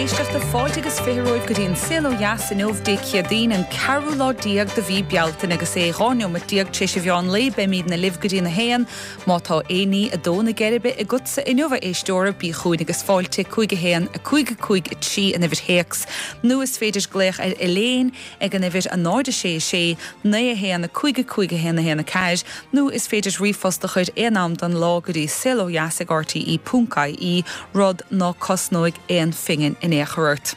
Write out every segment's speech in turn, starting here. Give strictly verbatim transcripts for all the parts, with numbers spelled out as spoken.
éisteachta fáilte agus fiche romhaibh go dtí an Saol Ó Dheas inniu Dé Céadaoin an ceathrú lá déag de mhí Bealtaine agus é dhá neomat déag tar éis an mheán lae beimidne libh go dtí a haon má tá aon ní ag dó na geirbe agatsa inniu a éisteora bí chugainn agus fáilte cúig a haon a cúig a cúig a trí an uimhir théacs nó is féidir glaoch ar Elaine ag an uimhir a náid a sé sé naoi a haon a cúig a cúig a haon a haon a ceathair nó is féidir ríomhphost a chur aon am den lá go dtí saolodheas ag RTE ponc IE rud ná cosnóidh aon phingin in aon chor ort.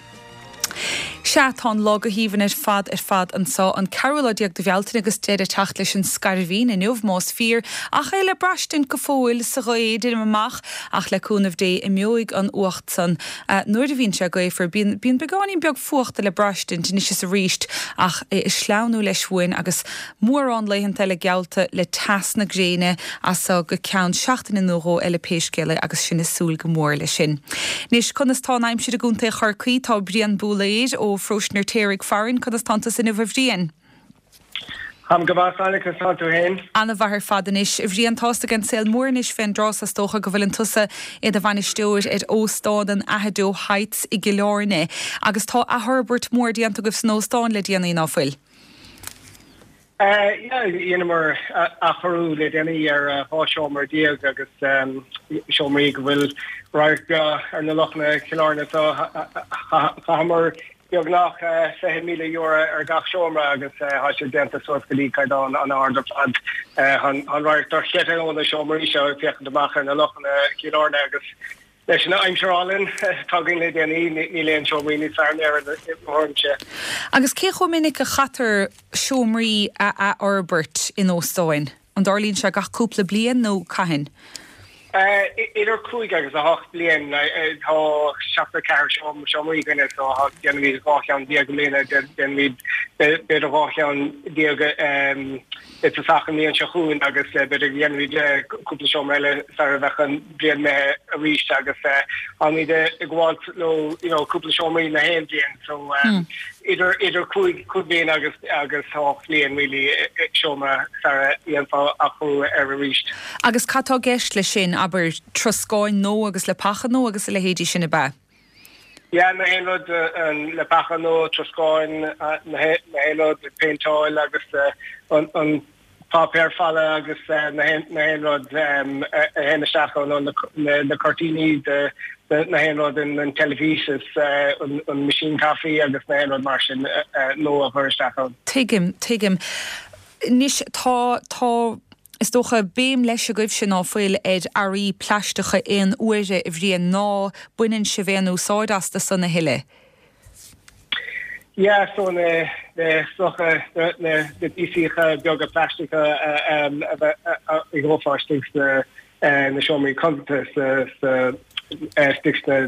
Sea tá an lá go haoibhinn ar fad ar fad anseo an ceathrú lá déag de Bhealtaine agus deireadh ag teacht leis an scairbhín inniu más fíor ach é le braistint go fóill sa ghaoth deirim amach ach le cúnamh Dé imeoidh an fhuacht san uh, nuair a bhíonn sé gaofar bíonn bíonn beagáinín beag fuachta le braistint anois is arís ach é ag sleamhnú leis uainn agus mórán laethanta eile geallta le teas na gréine as go ceann seachtaine nó dhó eile pé scéal é agus sinn ag súil go mór leis sin. Anois conas tá an aimsir i gContae Chorcaí tá Brian Búléir ó Pharóiste an Fheirtéaraigh farainn conas tánn tusa inniu a Bhriain. Táim go maith conas tá tú féin? An-mhaith ar fad anois a Bhriain tá's ag an saol mór anois fén dtráth is dócha go bhfuil tusa i do bhainisteoir ar óstán an Aghadowey Heights i gCill Airne, agus tá athfhorbairt mór déanta agaibh san óstán le déanaí ná fuil. Dheineamar athchóiriú le déanaí ar dhá seomra déag agus seomraí go bhfuil radharc breá ar na lochanna Cill Airne so chaitheamar beagnach fiche míle euro ar gach seomra agus tá sé déanta suas go dtí caighdeán an-ard ar fad an radharc dochreidte ó na seomraí seo féachaint amach ar na lochanna Cill Airne agus leis an aimsir álainn atá againn le déanaí níl aon seomraí níos fearr ar an sé. Agus cé chomh minic a chaitear seomraí a athfhorbairt in óstáin? An dtarlaíonn sé gach cúpla bliain nó cathain? Idir cúig agus a hocht bliain tá seachtó ceathair seomraí againne so déanaimid dhá cheann déag i mbliana déanaimid b'fhéidir dhá cheann déag i dtosach an bhliain seo chugainn agus b'fhéidir dhéanfaimid cúpla seomra eile sar a bheadh an bhliain imithe arís agus táimid ag gabháil leo you know cúpla seomraí na haon bhliain so idir idir cúig cúig bliain agus agus hocht bliain really seomra sar a dhéanfá athchóiriú air arís. Agus cad tá i gceist leis sin abair troscáin nua agus leapacha nua agus a leithéidí sin ab ea? Yeah, na haon rud an leapacha nua troscáin na haon rud péinteáil agus an an páipéar falla agus na haon rud a théann isteach ann na cuirtíní de na haon rud an teilifís is an machine caife agus na haon rud mar sin nua a chur isteach ann. Tuigim, tuigim. Anois tá tá is dócha béim leis agaibhse ná fuil ar earraí plaisteacha aon uaire a Bhriain ná baineann sibh aon úsáid astu san a thuilleadh. Yeah, so na na socha na na píosaíocha beaga plaisteacha a bheith a gheofá istigh sna na seomraí codlata sa istigh sna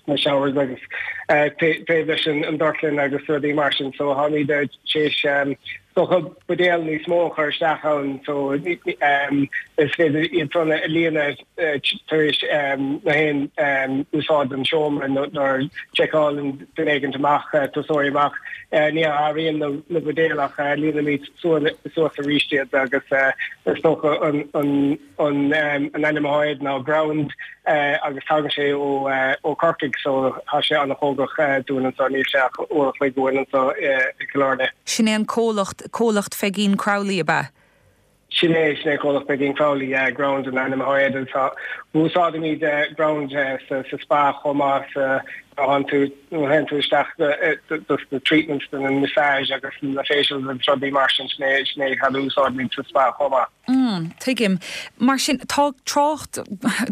na showers agus taobh leis an dorchlann agus rudaí mar sin so táimid tar éis dócha buidéal níos mó a chur isteach ann so is féidir iad san a líonadh tar éis na haon úsáid den seomra nuair seiceálann duine éigin amach turasóirí amach ní athraíonn na buidéil ach líonaimid suas arís iad agus is dócha an an an an ainm atá air ná ground agus tagann sé ó ó Corcaigh so tá sé an-chóngarach dúinn anseo níl sé ach uair a chloig uainn anseo i gCill Airne. Sin é an comhlacht comhlacht Pheigín Crowley ab ea? Sin é sin é comhlacht Pheigín Crowley yeah, ground an ainm atá air tá úsáidimid ground sa sa spa chomh maith sa théann tú théann tú isteach dos na treatments den an massage agus na facials agus rudaí mar sin sin é sin é cad a úsáidimid sa spa chomh maith. Mm, tuigim. Mar sin tá trácht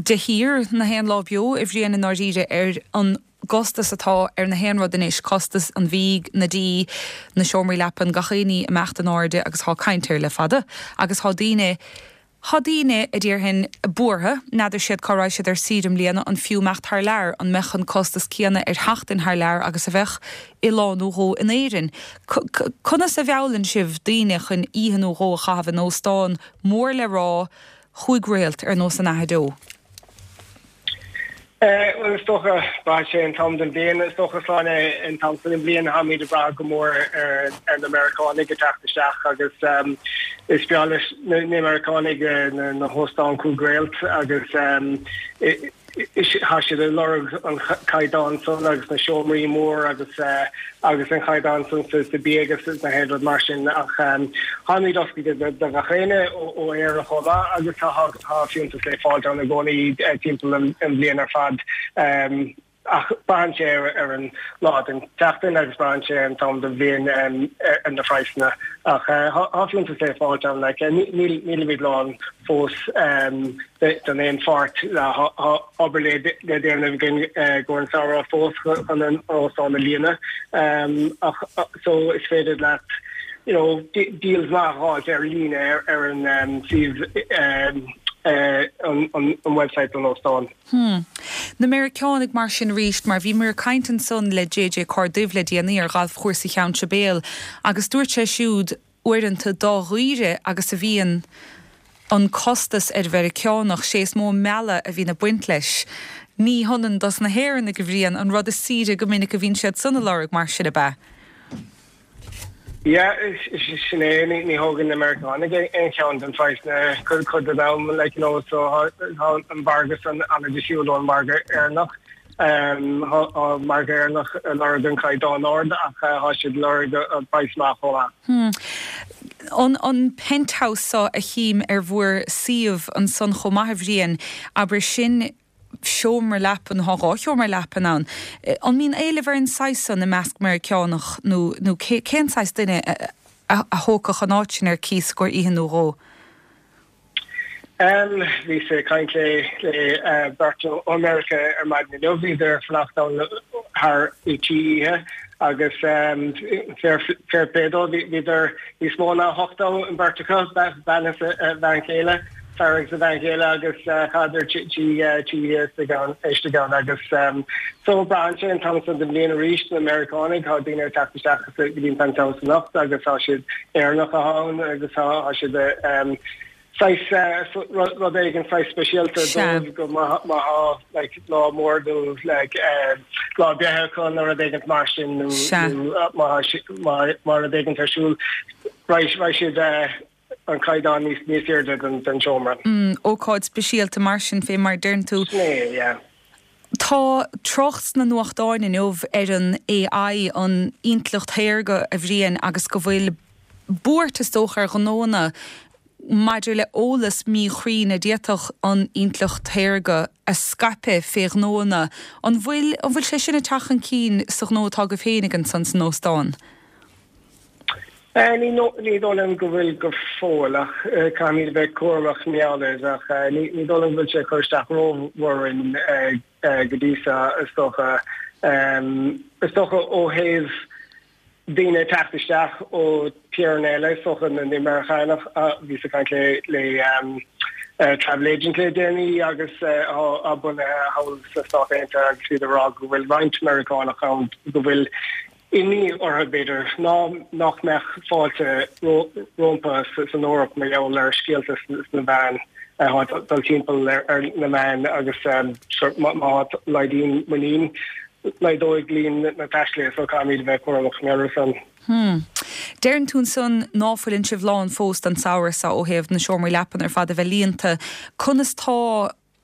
de shíor na haon lá beo a Bhriain i ndáiríre ar an gcostas atá ar na haon rud anois, costas an bhídh, na dí, na seomraí leapan, gach aon ní ag imeacht in airde agus tá caint air le fada agus tá daoine Tá daoine a déarfainn buartha, n'fheadar siad cá raghaidh siad ar saoire i mbliana, an fiú imeacht thar lear, an mbeadh an costas céanna ar sheachtain thar lear agus a bheadh i lá nó dhó in Éirinn. Conas a mheallann sibh daoine chun oíche nó dhó a chaitheamh in óstán mór le rá chúig réalt ar nós an Aghadoe? Bhuel is dócha braitheann sé an t-am den bhliain is dócha Sláine an t-am den bhliain táimid ag brath go mór ar ar na Meiriceánaigh ag teacht isteach agus Is breá leis na Meiriceánaigh na hóstáin cúig réalt agus tá siad ag lorg an caighdeán san agus na seomraí mór agus agus an caighdeán san sa bia agus na haon rud mar sin ach táimid oscailte do gach éinne ó Éire chomh maith agus tá fiúntas le fáil ann i gcónaí timpeall an bhliain ar fad. Ach braitheann sé ar an lá den tseachtain agus braitheann sé ar an t-am den bhliain ar na praghsanna. Ach tá fiúntas le fáilt ann, like, nílimid lán fós don aon pháirt. Tá obair le déanamh againn i gcomhair an samhradh fós chun an óstán a líonadh. Ach so is féidir leat you know, deals maith a fháilt ar líne ar an suíomh an website don óstán. Hmm. Na Meiriceánaigh mar sin arís, mar bhíomar ag caint ansan le JJ Corduibh le déanaí ar ghalfchúrsa Cheann Sibéal agus dúirt sé siúd uaireanta dá dhaoire agus a bhíonn an costas ar Mheiriceánach, sé is mó mealladh a bhíonn ag baint leis. Ní hionann dos na hÉireannaigh a Bhriain, an rud is saoire go minic a bhíonn siad san ag lorg mar sin ab ea? Yeah, sin é, ní thógann na Meiriceánaigh aon cheann den phraghsanna cuid den am, like, you know, so tá an margadh san an-difriúil ón margadh Éireannach. Tá an margadh Éireannach ag lorg an caighdeán ard ach tá siad ag lorg an praghas maith chomh maith. Hmm. An an penthouse seo a chím ar bhur suíomh ansan chomh maith a Bhriain, abair sin seomra leapan, tá dhá sheomra leapan ann. An mbíonn éileamh ar an saghas san i measc Meiriceánach nó nó cén saghas duine a thógfadh an áit sin ar cíos i gcomhair oíche nó dhó? Bhíos ag caint le le beirt ó Meiriceá ar maidin inniu, bhíodar ag fanacht ann thar trí oíche agus fair fair play dóibh, bhíodar níos mó ná hocht ann an bheirt acu, bean is a bhean chéile. fear agus a bhean chéile agus chaitheadar trí oíche istigh ann agus so braitheann sé an t-am san den bhliain arís na Meiriceánaigh tá daoine ag teacht isteach go dtí an penthouse anocht agus tá siad Éireannacha ann agus tá siad saghas rud éigin saghas speisialta dóibh go má tá like lá mór nó like lá breithe acu nó rud éigin mar sin nó má má rud éigin ar siúl raghaidh siad an caighdeán níos níos airde den den seomra. Mm, ócáid speisialta mar sin fé mar deireann tú. Sin é, yeah. Tá trácht sna nuachtáin inniu ar an AI, an intleacht shaorga, a Bhriain, agus go bhfuil buairt is dócha ar ghnóanna maidir le eolas míchruinn a d'fhéadfadh an intleacht shaorga a scaipeadh fé ghnóanna. An bhfuil an bhfuil sé sin ag teacht chun cinn sa ghnó atá agaibh féinig ansan san óstán? Ní ní dóigh liom go bhfuil go fóill ach caithfimid a bheith cúramach mar gheall air ach ní ní dóigh liom go bhfuil sé ag cur isteach rómhór orainn go dtí seo is dócha. Is dócha ó thaobh daoine ag teacht isteach ó tíortha eile is dócha na Meiriceánach bhíos ag caint le le travel agent le déanaí agus atá bunaithe thall sna Stáit Aontaithe agus bhíodar ag rá go bhfuil roinnt Meiriceánach ann go bhfuil imní orthu, b'fhéidir, ná nach mbeadh fáilte rompu san Eoraip mar gheall ar scéalta sna meáin atá ag dul timpeall ar na meáin agus má laghdaíonn muinín, laghdóidh líon na dtaistealaithe so caithfimid a bheith cúramach mar gheall air san. Hmm. Deireann tú ansan ná fuileann sibh lán fós don samhradh seo ó thaobh na seomraí leapan ar fad a bheith líonta. Conas tá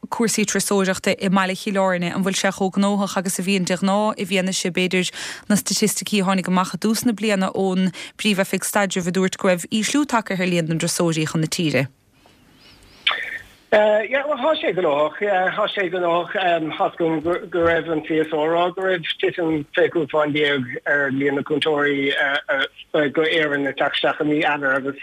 cúrsaí turasóireachta i mbaile Chill Airne, an bhfuil sé chomh gnóthach agus a bhíonn de ghnáth i bhfianaise, b'fhéidir, na staitisticí a tháinig amach i dtús na bliana ón bPríomh-Oifig Staidrimh a dúirt go raibh ísliú tagtha ar líon na dturasóirí chun na tíre? Yeah, well tá sé gnóthach, yeah, tá sé gnóthach. Tá's agam go raibh an CSO ag rá go raibh titim fiche cúig fán déag ar líon na gcuairteoirí go Éirinn ag teacht isteach i mí Eanáir agus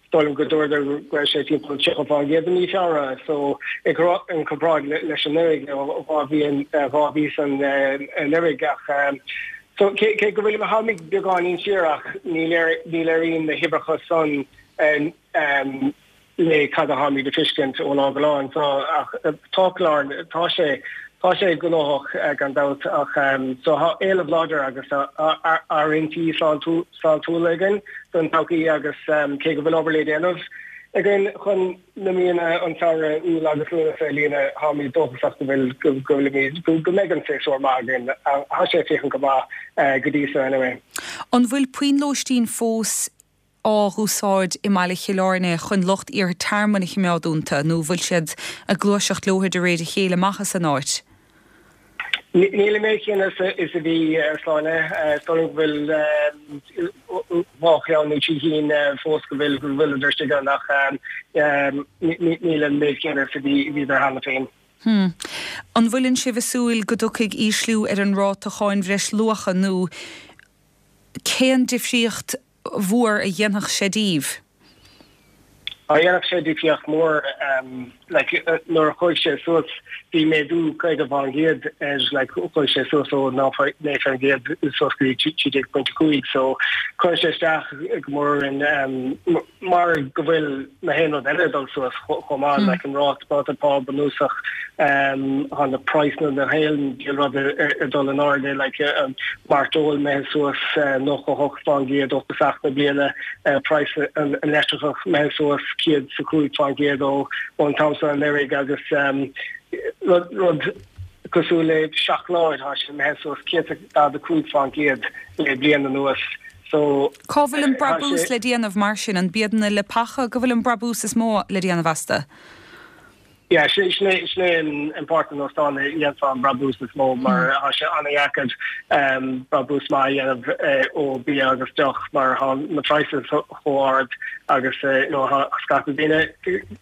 Is dóigh liom go dúradar go raibh sé timpeall tríocha fán gcéad i mí Feabhra, so i gcomparáid leis anuraidh, dhá mhí dhá mhí san anuraidh ach so cé cé go bhfuil tháimid beagáinín siar ach ní ní léiríonn na huimhreacha san le cad a tháimid ag feiscint ó lá go lá so ach tá Cill Airne tá sé Tá sé gnóthach gan dabht ach so tá éileamh láidir agus áirithintí sláintiúla againn don todhchaí agus cé go bhfuil obair le déanamh againn chun na míonna an tsamhraidh, Iúil agus Lúnasa a líonadh, táimid dóchasach go bhfuil go bhfuilimid go mbeidh an séasúr maith againn. Tá sé ag féachaint go maith go dtí seo anyway. An bhfuil puinn lóistín fós á úsáid i mbaile Chill Airne chun lucht iarrtha tearmainn a chimeád dúnta nó bhfuil siad ag gluaiseacht leo de réir a chéile amach as an áit? Níl an méid céanna is a bhí a Shláine go bhfuil dhá cheann nó trí cinn fós go bhfuil go bhfuil istigh ann ach níl an méid céanna is a bhí bhíodar cheana féin. Hmm. An bhfuileann sibh ag súil go dtiocfaidh ísliú ar an ráta cháin bhreisluacha nó cén difríocht mhór a dhéanfadh sé díbh? Á dhéanfadh sé difríocht mór like nuair a chuaigh sé suas bhí méadú caoga faoin gcéad ar like chuaigh sé suas ó naoi faoin gcéad suas go dtí trí déag pointe cúig so chuir sé isteach go mór in mar go bhfuil na haon rud eile dul suas chomh maith like an ráta ráta pá bunúsach um na praghsanna na haon rud ar dul in airde like um, mairteoil imithe suas nócha hocht faoin gcéad ó thosach na bliana praghas an leictreachas imithe suas céad is a cúig faoin gcéad ó ón t-am seo anuraidh agus um, rud rud cosúil le seacláid tá sé imithe suas céad daichead a cúig faoin gcéad le bliain anuas. So Cá bhfuil an brabús le déanamh mar sin an iad na leapacha go bhfuil an brabús is mó le déanamh astu? Yeah, sin sin an an páirt an óstán a dhéanfá an brabús is mó mar tá sé an-deacair um, brabús maith a dhéanamh eh, ó bia agus deoch mar tá na prices chomh hard agus eh, you know, scata daoine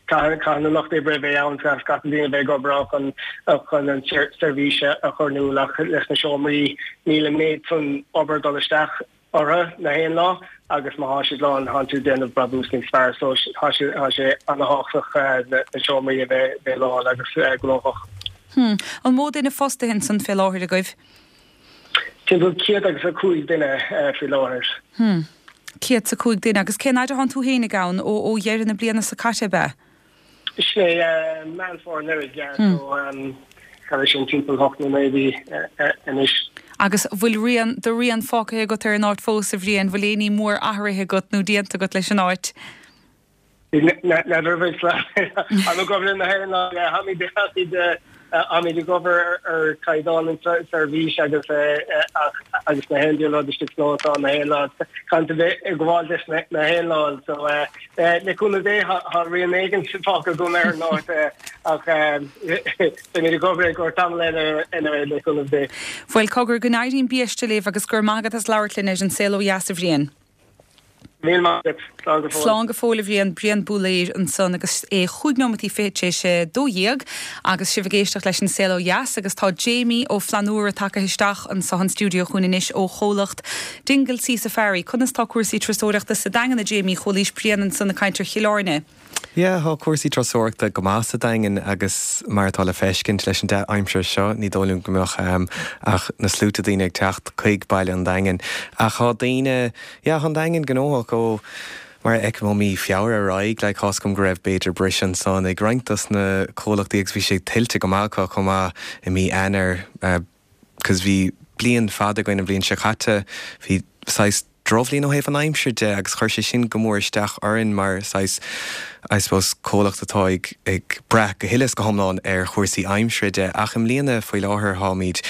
caithfidh na lucht oibre bheith ann scata daoine bheith ag obair chun chun an seirbhís a chur nó leis na seomraí níl an méid san obair dul isteach orthu na haon lá agus má tá siad lán tá tú déanamh brabús níos fearr so tá sé tá sé an-tábhachtach na seomraí a bheith bheith lán agus gnóthach. Hmm. An mó duine fostaithe ansan fé láthair agaibh? Timpeall céad agus a cúig duine faoi láthair. Hmm. Céad a cúig duine agus cén fhad atá tú féinig ann ó ó dheireadh na bliana seo caite be? Sé Meán Fómhair anuraidh so um, sin timpeall hocht nó naoi mí anois. Agus bhfuil rian do rian fágtha agat ar an áit fós a Bhriain bhfuil aon ní mór athraithe agat nó déanta agat leis an áit. An go na haon lá táimid ag obair ar chaighdeán an seirbhís agus agus na haon lá tá na haon lá kan bheith ag gabháil leis na haon lá so le cúnamh Dé tá rian éigin fágtha agam ar an áit ach mé ag obair go tamall eile le cúnamh Dé. Bhuel cogar go n-éirí biaiste libh agus gur maith agat as labhairt linn ar an Saol Ó Dheas a Bhriain. Slán go fóill a Bhriain Brian Búléir ansan agus é chúig nóiméad fiche sé dó dhéag agus sibh ag éisteacht leis an Saol Ó Dheas agus tá Jamie Ó Flannúra tagtha isteach anso an stiúideo chugainn anois ó chomhlacht Dingle Sea Safari. Conas tá cúrsaí turasóireachta sa Daingean a Jamie chualaís Brian ansan ag caint ar Chill Airne. Yeah, tá cúrsaí turasóireachta go maith sa Daingean agus mar atá le feiscint leis an dea-aimsir seo ní dóigh liom go mbeadh um, ach na sluaite daoine ag teacht chuig baile an Daingin. Ach tá daoine yeah, an Daingean gnóthach ó mar ag ó mí Feabhra ar aghaidh le cás go raibh b'fhéidir briseadh ansan ag roinnt dos na comhlachtaí agus bhí sé tuillte go maith chomh maith i mí Eanáir uh, cos bhí bliain fada againn an bhliain seo caite bhí saghas drochbhliain ó thaobh an aimsir de agus chuir sé sin go mór isteach orainn mar saghas I suppose comhlacht atá ag ag brath go huile is go hiomlán ar chúrsaí aimsire de ach i mbliana faoi láthair táimid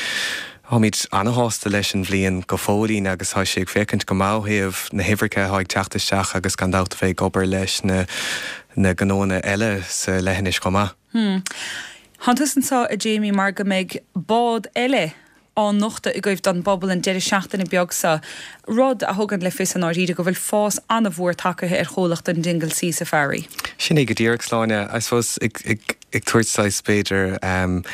Táimid an-shásta leis an bhliain go fóillín agus tá sé ag féachaint go maith ó thaobh na huimhreacha atá ag teacht isteach agus gan dabht a bheith ag obair leis na na gnónna eile sa leithinis chomh maith. Hmm. Tá tusa anso a Jamie mar go mbeidh bád eile á nochtadh agaibh don bpobal an deireadh seachtaine beag seo, rud a thugann le fios an áiríde go bhfuil fás an-mhór tagtha ar chomhlacht an Dingle Sea Safari. Sin é go díreach Sláine, I suppose ag, ag, ag tabhairt saghas b'fhéidir um,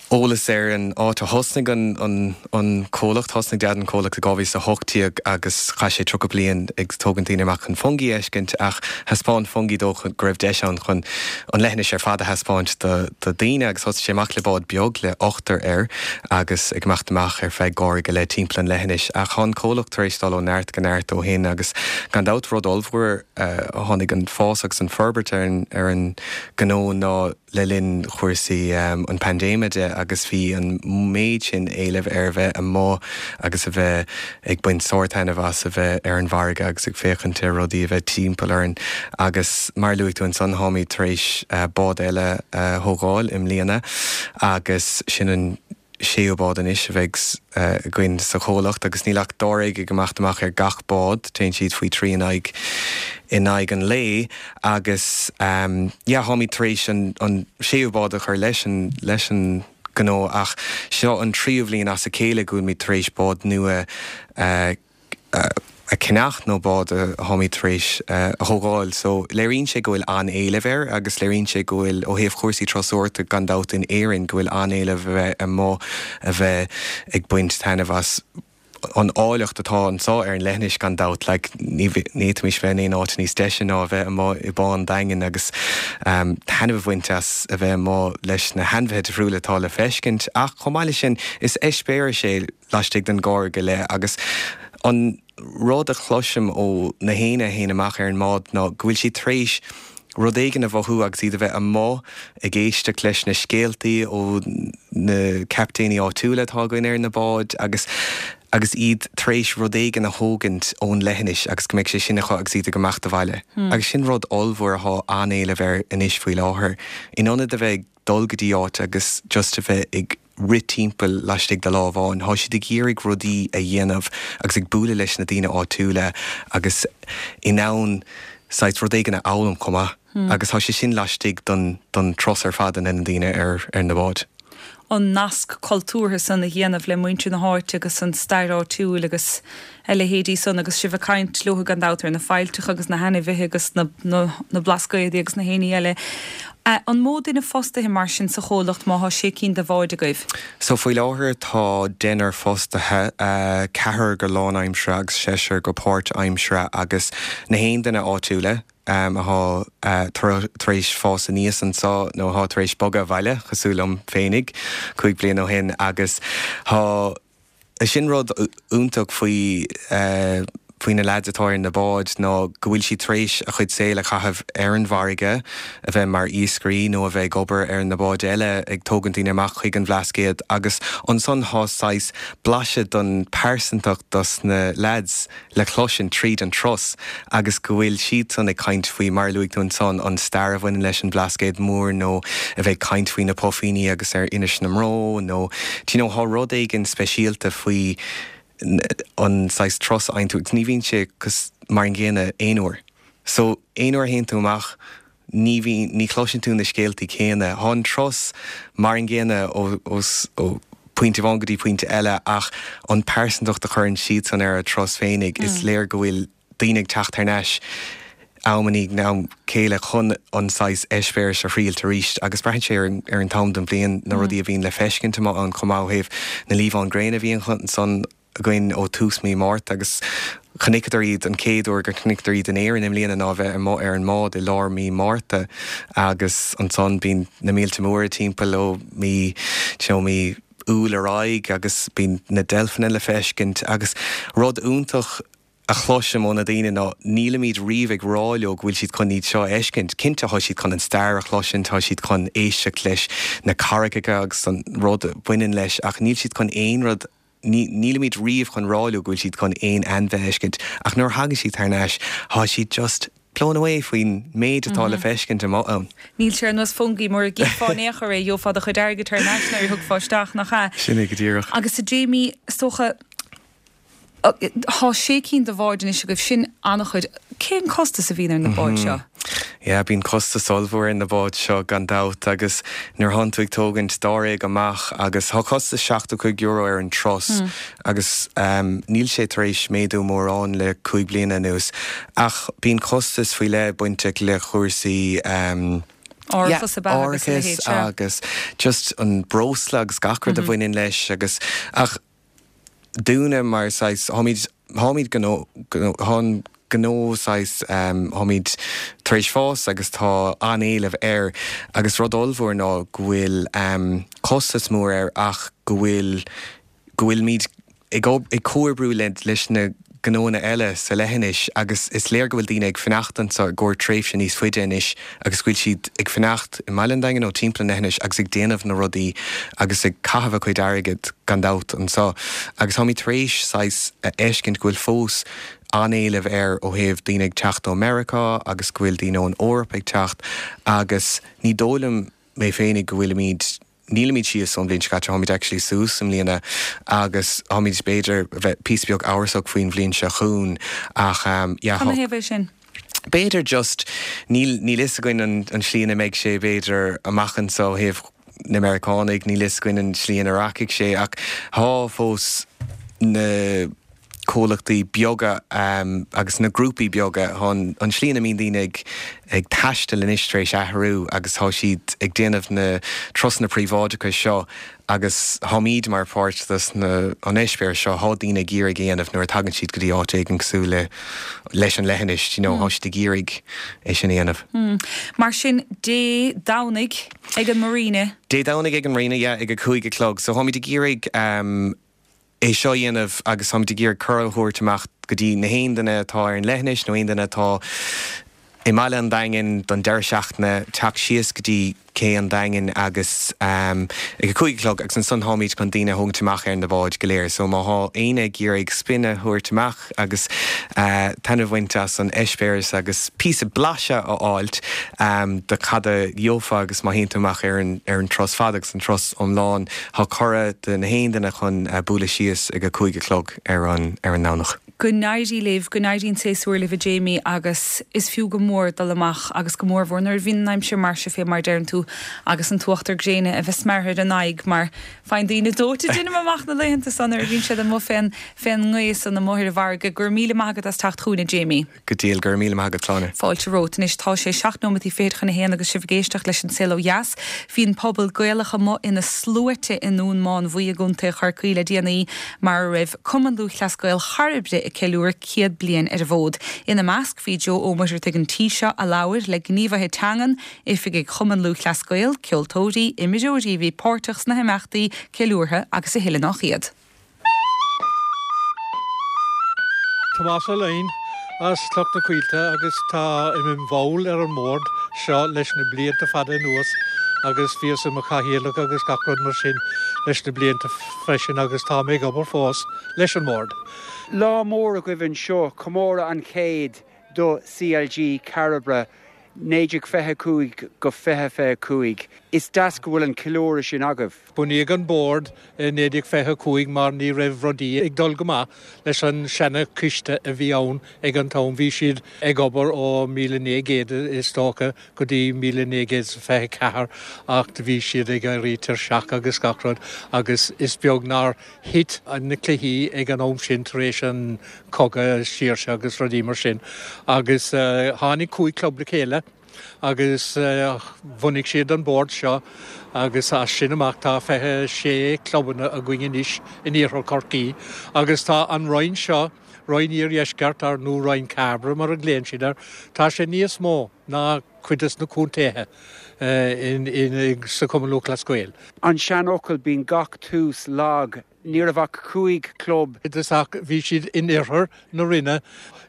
eolas ar an áit a thosnaigh an, an, an comhlacht thosnaigh Dad an comhlacht i dhá mhíle a hocht déag agus chaith sé tríocha bliain ag tógaint daoine amach chun Fungie a fheiscint ach thaispeáin Fungie dó go raibh deis ann chun an leithinis ar fad a thaispeáint do, do daoine agus thosaigh sé amach le bád beag le ochtar air agus ag imeacht amach ar feadh dhá uair go leith timpeall an leithinis ach tá an comhlacht tar éis dul ó neart go neart ó shin agus gan dabht rud ollmhór uh, tháinig an fás agus an forbairt ar an, ar an gnó ná le linn chúrsaí um, an paindéime de agus bhí an méid sin éilimh ar bheith amuigh agus a bheith ag baint sórt-taitneamh as a bheith ar an bhfarraige agus ag féachaint ar rudaí a bheith timpeall orainn agus mar luaigh tú ansan táimid tar éis uh, bád eile uh, thógáil i mbliana agus sin an séú bád anois a bheidh againn sa chomhlacht agus níl ach dáréag ag imeacht amach ar gach bád, téann siad faoi trí in aghaidh in aghaidh an lae agus yeah táimid tar éis an an séú bád a chur leis an leis an gnó ach seo an tríú bhliain as a chéile go bhfuilimid tar éis bád nua a a cheannach nó bád a tháimid tar éis a thógáil. So léiríonn sé go bhfuil an-éileamh air agus léiríonn sé go bhfuil ó thaobh chúrsaí turasóireachta gan dabht in Éirinn go bhfuil an-éileamh a bheith amuigh a bheith ag baint taitneamh as an áilleacht atá anseo ar an leithinis gan dabht. Like ní ní fhéadfaimis bheith in aon áit níos deise ná a bheith amuigh i bPá an Daingin agus taitneamh a bhaint as a bheith amuigh leis na hainmhithe difriúla atá le feiscint. Ach chomh maith leis sin is eispéireas é laistigh den gcarr go leith agus an rud a chloisim ó na héinne a théann amach ar an mbád ná go bhfuil siad tar éis rud éigin a mhothú agus iad a bheith amuigh ag éisteacht leis na scéaltaí ó na captaeiní áitiúla atá againn ar na báid agus agus iad tar éis rud éigin a thógaint ón leithinis agus go mbeidh sé sin acu agus iad ag imeacht abhaile. Agus sin rud ollmhór atá an-éileamh air anois faoi láthair. In ionad a bheith ag dul go dtí áit agus just a bheith ag rith timpeall laistigh de lá amháin, tá siad ag iarraidh rudaí a dhéanamh agus ag bualadh leis na daoine áitiúla agus in ann saghas rud éigin a fhoghlaim chomh maith. Agus tá sé sin laistigh don don turas ar fad a ndéanann daoine ar ar na báid. an nasc cultúrtha san a dhéanamh le muintir na háite agus an stair áitiúil agus a leithéidí san agus sibh ag caint leo gan dabht ar na faillteacha agus na hainmhithe agus na, na, na blascaodaí agus na héinní eile. An mó duine fostaithe mar sin sa chomhlacht má thá sé cinn de bháid agaibh? So faoi láthair tá deichniúr fostaithe, ceathrar go lánaimseartha agus seisear go páirtaimseartha agus na haon duine áitiúla atá tar éis fás aníos anseo nó atá tar éis bogadh abhaile cosúil liom féinig cúig bliana ó shin agus tá sin rud iontach faoi faoi na lads atá ar na báid ná go bhfuil siad tar éis a chuid saoil a chaitheamh ar an bhfarraige, a bheith mar iascairí nó a bheith ag obair ar na báid eile ag tógaint daoine amach chuig an Bhlascaod agus ansan thá saghas blaiseadh don pearsantacht dos na lads le cloisint tríd an turas agus go bhfuil siadsan ag caint faoi mar a luaigh tú ansan an stair a bhaineann leis an Bhlascaod Mór nó a bheith ag caint faoi na puifíní agus ar Inis na mBró nó do you know thá rud éigin speisialta faoi an saghas turas a fhaigheann tú agus ní bhíonn sé mar an gcéanna aon uair. So aon uair a théann tú amach ní bhí ní chloiseann tú na scéaltaí céanna. Thá an turas mar an gcéanna ó ó ó pointe amháin go dtí pointe eile ach an pearsantacht a chuireann siadsan ar a turas féinig is léir go bhfuil daoine ag teacht thar n-ais am i ndiaidh am chéile chun an saghas eispéiris a thriailt arís agus braitheann sé ar an ar an t-am den bhliain na rudaí a bhíonn le feiscint amach ann chomh maith ó thaobh na liamháin gréine a bhíonn ansan againn ó tús mí Márta agus chonaiceadar iad an chéad uair gur chonaiceadar iad in Éirinn i mbliana ná bheith amuigh ar an mbád i lár mí Márta agus ansan bíonn na mílte móra timpeall ó mí you know, mí Iúil ar aghaidh agus bíonn na deilfeanna le feiscint agus rud iontach a chloisim ó na daoine ná nílimid riamh ag rá leo go bhfuil siad chun iad seo a fheiscint. Cinnte tá siad chun an stair a chloisint, tá siad chun éisteacht leis na carraigeacha agus an rud a bhaineann leis ach níl siad chun aon rud nílimid riamh chun rá leo go bhfuil siad chun aon ainmhí a fheiscint ach nuair a thagann siad thar n-ais tá siad just blown away faoin méid atá le feiscint amuigh ann. Níl sé ar nós fungie mura gcífeá in aon chor é gheofá do chuid airgid thar n-ais nuair a thiocfá isteach nach ea? Sin é go díreach. Agus a Jamie, is dócha Tá sé cinn de bháid anois agaibh sin an-chuid. Cén costas a bhíonn ar na báid seo? Yeah, bíonn costas ollmhór ar na báid seo gan dabht agus nuair thánn tú ag tógaint dáréag amach agus tá costas seachtó cúig euro ar an turas agus níl sé tar éis méadú mórán le cúig bliana anuas ach bíonn costas faoi leith bainteach le chúrsaí Árachas ab ea agus a leithéid, árachas agus just an breosla agus gach rud a bhaineann leis agus ach dúinne mar saghas tháimid tháimid gnó thá an gnó saghas tháimid tar éis fás agus tá an-éileamh air agus rud ollmhór ná go bhfuil costas mór air ach go bhfuil go bhfuilimid ag ag comhoibriú le leis na gnónna eile sa leithinis agus is léir go bhfuil daoine ag fanacht anseo i gcomhair tréimhse níos faide anois agus go bhfuil siad ag fanacht i mBaile an Daingin nó timpeall an leithinis agus ag déanamh na rudaí agus ag caitheamh a cuid airgid gan dabht anseo agus táimid tar éis saghas a fheiscint go bhfuil fós an-éileamh air ó thaobh daoine ag teacht ó Meiriceá agus go bhfuil daoine ón Eoraip ag teacht agus ní dóigh liom mé féinig go bhfuilimid nílimid síos ón bhliain seo caite táimid actually suas i mbliana agus táimid b'fhéidir bheith píosa beag amhrasach faoin bhliain seo chugainn ach um, yeah, Cad ina thaobh é sin? B'fhéidir just níl níl fhios againn an, an slí ina mbeidh sé b'fhéidir amach anseo ó thaobh na Meiriceánaigh níl fhios againn an slí ina rachaidh sé ach tá fós na comhlachtaí beaga um, agus na grúpaí beaga an, an slí ina mbíonn daoine ag, ag taisteal anois tar éis athrú agus tá siad ag déanamh na turasanna príobháideacha seo agus táimid mar pháirt des na an eispéireas seo tá daoine ag iarraidh déanamh nuair a tagann siad go dtí áit éigin cosúil le leis an leithinis, you know, mm. siad ag iarraidh é sin a dhéanamh. Mm. Mar sin Dé Domhnaigh ag an Marina. Dé Domhnaigh ag an Marina yeah, ag a cúig a chlog, so táimid ag iarraidh um, é seo dhéanamh agus táimid ag iarraidh cuireadh a thabhairt amach go dtí na haon duine atá ar an leithinis nó aon duine atá i mBaile an Daingin don deireadh seachtaine teacht síos go dtí cé an Daingin agus um, ag a cúig a chlog agus ansan táimid chun daoine a thógaint amach ar na báid go léir, so má tá éinne ag iarraidh spin a thabhairt amach agus uh, taitneamh a bhaint as an eispéireas agus píosa blaiseadh a fháilt um, de cad a gheofá agus má théann tú amach ar an, ar an turas fada agus an turas iomlán tá cuireadh do na haon duine chun uh, bualadh síos ag a cúig a chlog ar an, ar an nDomhnach. Go n-éirí libh go n-éirí an séasúr libh a Jamie agus is fiú go mór dul amach agus go mór mhór nuair a bhíonn an aimsir mar seo fé mar deireann tú agus an t-uachtar gréine a bheith smeartha ar an aghaidh mar faigheann daoine dóite déanaim amach na laethanta san nuair a bhíonn siad amuigh fén fén ngaoth san amuigh ar an bhfarraige gur míle maith agat as teacht chugainn a Jamie. Go díreach gur míle maith agat Sláine. Fáilte romhat anois tá sé seacht nóiméad fichead chun a haon agus sibh ag éisteacht leis an Saol Ó Dheas. Bhí an pobal Gaelach amuigh ina sluaite i nDún Mánmhaí i gContae Chorcaí le déanaí mar a raibh Cumann Lúthchleas Gael Chairbre ag ceiliúradh céad bliain ar an bhfód. Ina measc bhí Joe Ó Muircheartaigh an tí seo a labhair le gníomhaithe teangan, oifigigh Chumann Lúthchleas Gael, ceoltóirí, imreoirí a bhí páirteach sna himeachtaí ceiliúrtha agus a thuilleadh nach iad. Tomás Ó Laighin as Cloch na Coillte agus tá i mball ar an mbord seo leis na blianta fada anuas agus bhíos i mo chathaoirleach agus gach rud mar sin leis na blianta freisin agus tá mé ag obair fós leis an mbord. Lá mór agaibh anseo comóradh an chéad do CLG Cairbre naoi déag fiche cúig go fiche fiche cúig. Is deas go bhfuil an ceiliúradh sin agaibh. Bunaíodh an bord i naoi déag fiche cúig mar ní raibh rudaí ag dul go maith leis an seana-choiste a bhí ann ag an t-am. Bhí siad ag obair ó míle naoi gcéad is dócha go dtí míle naoi gcéad is fiche ceathair ach bhí siad ag éirí tuirseach agus gach rud agus is beag nár thit na cluichí ag an am sin tar éis an cogadh saoirse agus rudaí mar sin. Agus tháinig cúig club le chéile agus bhunaigh siad an bord seo agus as sin amach tá fiche sé clubanna againn anois in iarthar Chorcaí agus tá an roinn seo, Roinn Iardheisceart ar nó Roinn Cairbre mar a ghlaonn siad air, tá sé níos mó ná cuid des na contaetha sa Chumann Lúthchleas Gael. An seanfhocal bíonn gach tús lag. Ní raibh ach cúig chlub. Is ach bhí siad in oirthear na Rinne.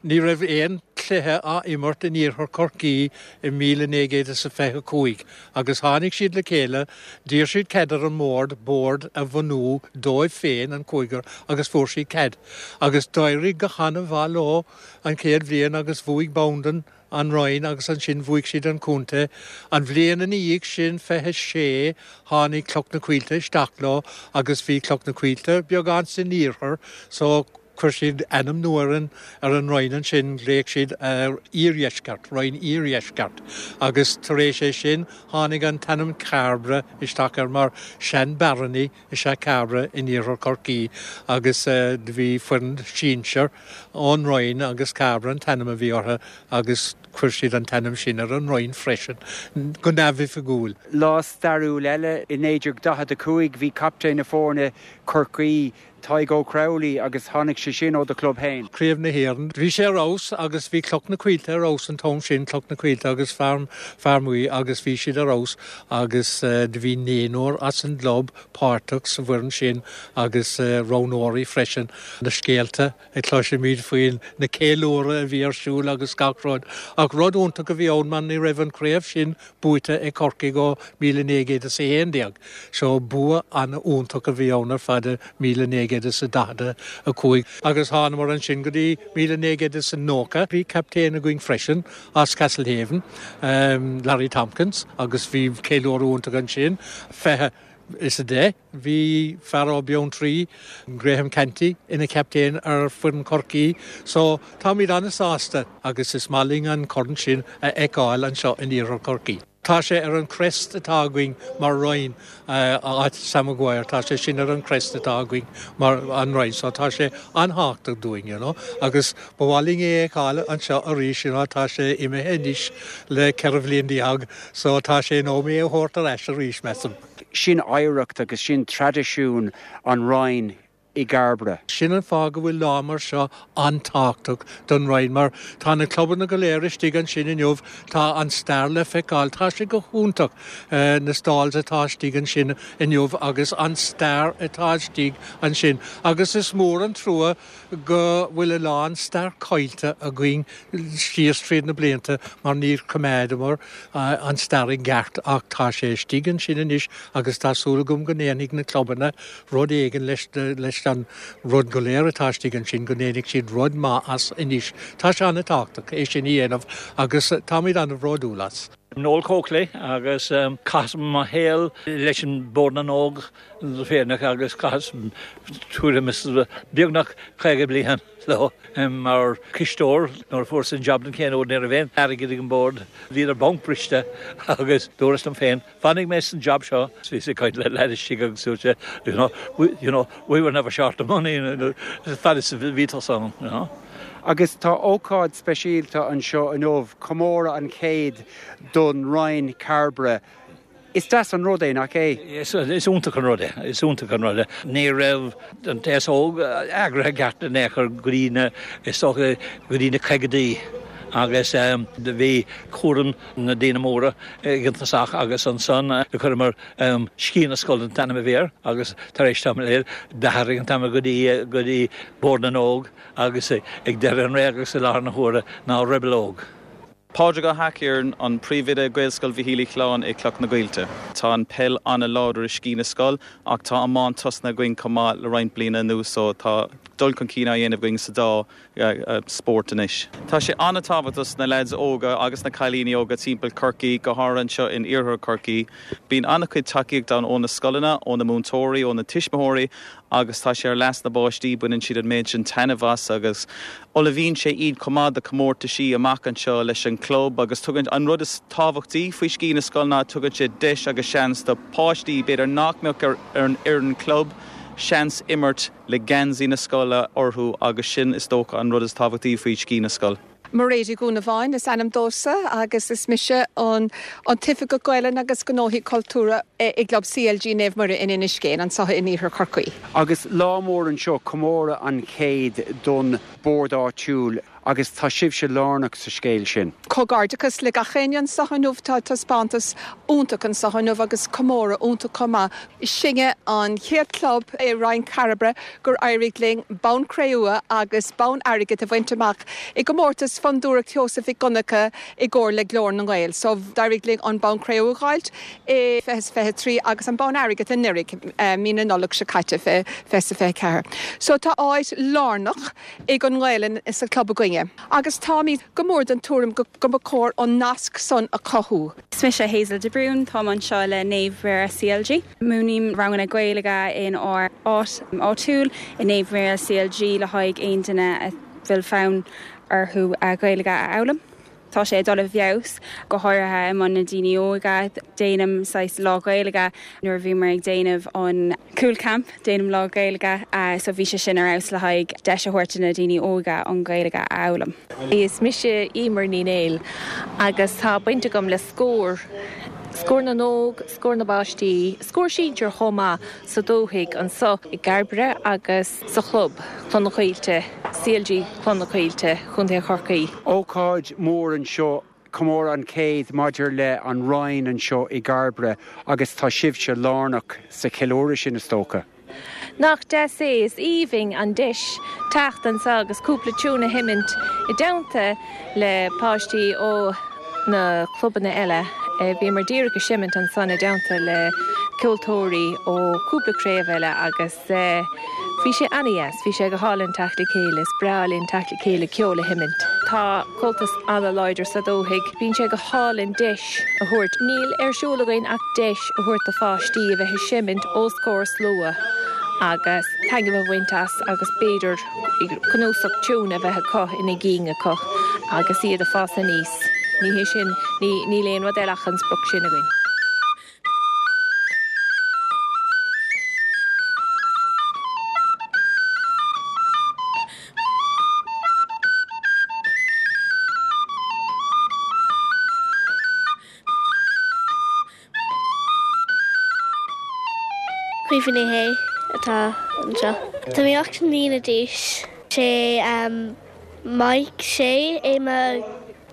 Ní raibh aon chluiche á imirt in iarthar Chorcaí i míle naoi gcéad is a fiche cúig agus tháinig siad le chéile, d'iarr siad cead ar an mbord bord a bhunú dóibh féin, an cúigear, agus fuair siad cead. Agus d'éirigh go han-mhaith leo an chéad bhliain agus bhuaigh Bandon an roinn agus ansin bhuaigh siad an contae. An bhliain ina dhiaidh sin, fiche sé, tháinig Cloch na Coillte isteach leo agus bhí Cloch na Coillte beagán san iarthar so chuir siad ainm nua ar an ar an roinn ansin, ghlaoigh siad Iardheisceart, Roinn Iardheisceart agus tar éis é sin tháinig an t-ainm Cairbre isteach air mar sean-barony is ea Cairbre in iarthar Chorcaí agus do bhí foireann sinsir ón Roinn agus Cairbre an t-ainm a bhí orthu agus chuir siad an t-ainm sin ar an Roinn freisin, go neamhoifigiúil. Lá stairiúil eile i naoi déag daichead a cúig bhí captaen na foirne Chorcaí, Tadhg Ó Crowley agus tháinig sé sin ó do chlub féin. Craobh na hÉireann. Bhí sé ar fheabhas agus bhí Cloch na Coillte ar fheabhas an t-am sin, Cloch na Coillte agus Fear Fear Maí agus bhí siad ar fheabhas agus do bhí naonúr as an gclub páirteach sa bhfoireann sin agus roghnóirí freisin. Na scéalta a chloisimid faoin na ceiliúradh a bhí ar siúl agus gach rud. Ach rud iontach a bhí ann mar ní raibh an chraobh sin buaite ag Corcaigh ó míle naoi gcéad is a haon déag. So bua an-iontach a bhí ann ar fad i míle naoi gcéad is a daichead a cúig. Agus thánamar ansin go dtí míle naoi gcéad is a nócha. Bhí captaen againn freisin as Castlehaven, Larry Tompkins, agus bhí ceiliúradh iontach ansin. Fiche is a deich. Bhí fear ó Beanntraí, Graham Canty, ina captaen ar foireann Chorcaí, so táimid an-sásta agus is maith linn an corn sin a fheiceáil anseo in iarthar Chorcaí. Tá sé ar an crest atá againn mar roinn áit Sam Maguire, tá sé sin ar an crest atá againn mar an roinn, so tá sé an-tábhachtach dúinn, you know, agus ba mhaith linn é a fheiceáil anseo arís, you know, tá sé imithe anois le ceithre bhliain déag, so tá sé in am é a thabhairt ar ais arís, measaim. Sin oidhreacht agus sin traidisiún an Roinn i gCairbre. Sin an fáth go bhfuil lá mar seo an-tábhachtach don Roinn, mar tá na clubanna go léir istigh ansin inniu, tá an stair le feiceáil, tá sé go hiontach na stalls atá istigh ansin inniu agus an stair atá istigh ansin. Agus is mór an trua go bhfuil a lán stair caillte againn síos tríd na blianta mar níor choimeádamar an stair i gceart ach tá sé istigh ansin anois agus tá súil agam go ndéanfaidh na clubanna rud éigin leis leis an rud go léir atá istigh ansin go ndéanfaidh siad rud maith as anois. Tá sé an-tábhachtach é sin a dhéanamh agus táimid an-bhródúil as. Noel Coakley agus um, chaitheas mo shaol leis an Bord na nÓg féineach agus chaitheas tuairim is beagnach caoga bliain leo um, mar cisteoir nuair a fuaireas an job den chéad uair ní raibh aon airgead ag an bord bhí ar banc briste agus dúras liom féin fanfaidh mé san job seo bhí sé caint le leistigh agus dúirt you know, we, you know, we were never short of money fad is bhí tú ann, you know. Agus tá ócáid speisialta anseo inniu, comóradh an chéad don Roinn Cairbre. Is deas an rud é nach é? Is iontach an rud é, is iontach an rud é. Ní raibh an t-aos óg eagraithe ceart in aon chor go dtí na is go dtí na caogaidí agus um, bhí cúram na daoine móra ag an tosach agus ansan do chuireamar um, Sciath na Scol an t-ainm a bhí air agus tar éis tamaill d'athraigh an t-ainm go dtí go dtí Bord na nÓg agus ag deireadh an ré agus i láthair na huaire ná Rebel Óg. Pádraig Ó hAicír an príomhoide Gaelscoil Mhichíl Uí Choileáin i Cloch na Gaoilte. Tá an peil an-láidir i Sciath na Scol ach tá iomáint tosnaithe againn chomh maith le roinnt bliana anuas so tá dul chun cinn á dhéanamh againn sa dá uh, spórt anois. Tá sé an-tábhachtach na lads óga agus na cailíní óga timpeall Chorcaí go háirithe anseo in iarthar Chorcaí. Bíonn an-chuid tacaíocht ann ó na scoileanna, ó na múinteoirí, ó na tuismitheoirí agus tá sé ar leas na bpáistí baineann siad an méid sin taitneamh as agus ullmhaíonn sé iad chomh maith do chomórtaisí amach anseo leis an club agus tugann an rud is tábhachtaí faoi Sciath na Scol ná tugann sé deis agus seans do páistí b'fhéidir nach mbeadh ar, ar an fhoireann club, seans imirt le geansaí na scoile orthu agus sin is dócha an rud is tábhachtaí faoi Sciath na Scol. Mairéad Uí Dhúnabháin is ainm domhsa agus is mise an an tOifigeach Gaelainne agus Gnóthaí Cultúrtha i gClub CLG Naomh Muire in Inis Géin anseo in iarthar Chorcaí. Agus lá mór anseo comóradh an chéad don bord áitiúil agus tá sibhse lárnach sa scéal sin. Comhghairdeachas le gach éinne anseo inniu tá taispeántas iontach anseo inniu agus comóradh iontach chomh maith. Sinne an chéad club i Roinn Cairbre gur éirigh linn bonn cré-umha agus bonn airgid a bhaint amach i gcomórtas Fondúireacht Sheosaimh Mhic Dhonncha i gcomhar le Glór na nGael. So d'éirigh linn an bonn cré-umha a fháilt i fiche fiche trí agus an bonn airgid anuraidh mí na Nollag seo caite fiche fiche ceathair. So tá áit lárnach ag an nGaelainn sa club againne. Agus táimid go mór den tuairim go go cóir an nasc san a chothú. Is mise Hazel de Brún tá anseo le Naomh Muire CLG. Múinim ranganna Gaeilge in ár áit áitiúil i Naomh Muire CLG le haghaidh aon duine a bhfuil fonn orthu Gaeilge a fhoghlaim. Tá sé dul i bhfeabhas go háirithe i measc na daoine óga déanaim saghas lá Gaeilge nuair a bhí mar ag déanamh an Cúl Camp déanaim lá Gaeilge so bhí sé sin ar fheabhas le haghaidh deis a thabhairt na daoine óga an Ghaeilge a fhoghlaim. Is mise Emer Ní Néill agus tá baint agam le scór. Scór na nóg, scór na bpáistí, scór sinsir chomh maith sa dúthaigh anseo i gCairbre agus sa chlub Cloch na Coillte, CLG Cloch na Coillte Chontae Chorcaí. Ócáid mór anseo comóradh an chéad maidir le an Roinn anseo i gCairbre agus tá sibhse lárnach sa cheiliúradh sin is dócha. Nach deas é is aoibhinn an deis teacht anseo agus cúpla tiún a sheinnt i dteannta le páistí ó na clubanna eile. Bhí mar díreach ag seimint ansan i dteannta le ceoltóirí ó cúpla craobh eile agus bhí sé an-deas, bhí sé go hálainn teacht le chéile, is breá linn teacht le chéile ceol a sheimint. Tá Comhaltas an-láidir sa dúthaigh, bíonn sé go hálainn deis a thabhairt. Níl ar siúl againn ach deis a thabhairt do pháistí a bheith ag seimint os comhair slua agus taitneamh a bhaint as agus b'fhéidir cnuasach tiún a bheith acu ina gcinn acu agus iad ag fás aníos. Ní hé sin, níl aon rud eile ach an sprioc sin againn. Caoimhe Ní Shé atá anseo. Tá mé ocht mbliana d'aois. Sé Mike Shea é mo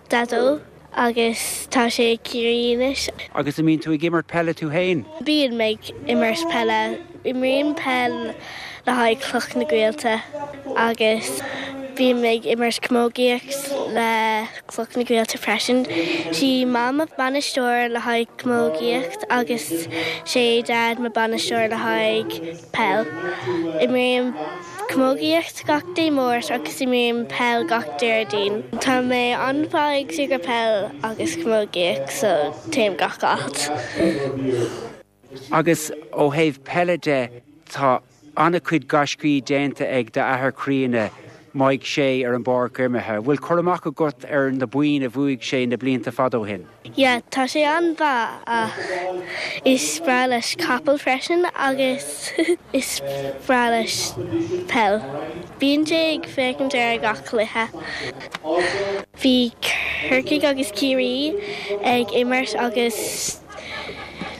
dhaideo agus tá sé i gCiarraí anois. Agus an mbíonn tú ag imirt peile tú féin? Bíonn mé ag imirt peile. Imrím peil le haghaidh Cloch na Gaoilte agus bím ag imirt camógaíocht le Cloch na Gaoilte freisin. Sí Mam mo bainisteoir le haghaidh camógaíocht agus sé Dad mo bainisteoir le haghaidh peil. Imrím camógaíocht gach Dé Máirt agus imrím peil gach Déardaoin. Tá mé an-mhaith ag súgradh peil agus camógaíocht so téim gach áit. Agus ó thaobh peile de, tá an-chuid gaiscí déanta ag d'athair críonna, Mike Shea, ar an bpáirc imeartha. Bhfuil cur amach agat ar na boinn a bhuaigh sé na blianta fada ó shin? Yeah, tá sé an-mhaith ach is breá leis capall freisin agus is breá leis peil. Bíonn sé ag féachaint ar gach cluiche. Bhí Corcaigh agus Ciarraí ag imirt agus